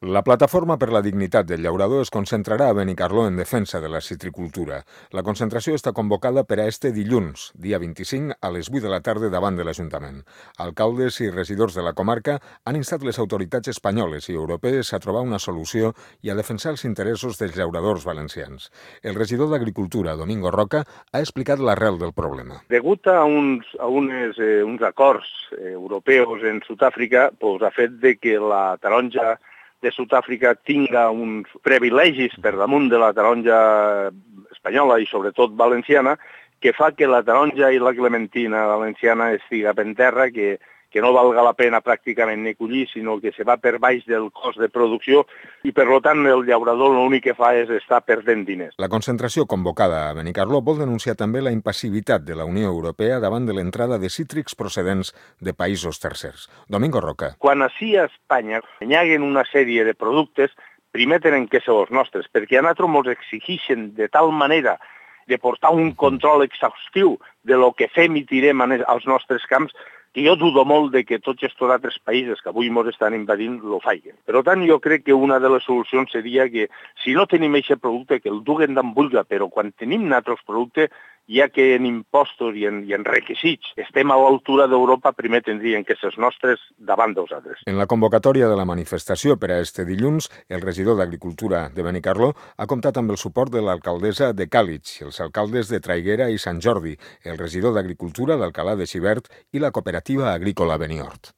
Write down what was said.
La Plataforma per la Dignitat del Llaurador es concentrarà a Benicarló en defensa de la citricultura. La concentració està convocada per a este dilluns, dia 25, a les 8 de la tarda davant de l'Ajuntament. Alcaldes i regidors de la comarca han instat les autoritats espanyoles i europees a trobar una solució i a defensar els interessos dels llauradors valencians. El regidor d'Agricultura, Domingo Roca, ha explicat l'arrel del problema. Degut a uns acords europeus en Sud-àfrica, ha fet que la taronja de Sud-àfrica tinga uns privilegis per damunt de la taronja espanyola i sobretot valenciana, que fa que la taronja i la clementina valenciana estiga per terra, que no valga la pena pràcticament ni collir, sinó que se va per baix del cost de producció i, per tant, el llaurador l'únic que fa és estar perdent diners. La concentració convocada a Benicarló vol denunciar també la impassivitat de la Unió Europea davant de l'entrada de cítrics procedents de països tercers. Domingo Roca. Quan ací a Espanya nyaguen una sèrie de productes, primer tenen que ser els nostres, perquè a nosaltres ens exigeixen de tal manera de portar un control exhaustiu de lo que fem i tirem als nostres camps, que jo dudo molt de que tots aquests altres països que avui ens estan invadint lo facin. Per tant, jo crec que una de les solucions seria que, si no tenim aquest producte, que el duguen d'on vulga, però quan tenim altres productes, ja que en impostos i en requisits estem a l'altura d'Europa, primer tindrien que ser els nostres davant dels altres. En la convocatòria de la manifestació per a este dilluns, el regidor d'Agricultura de Benicarló ha comptat amb el suport de l'alcaldessa de Càlig, els alcaldes de Traiguera i Sant Jordi, el regidor d'Agricultura d'Alcalà de Xivert i la cooperativa agrícola Beniort.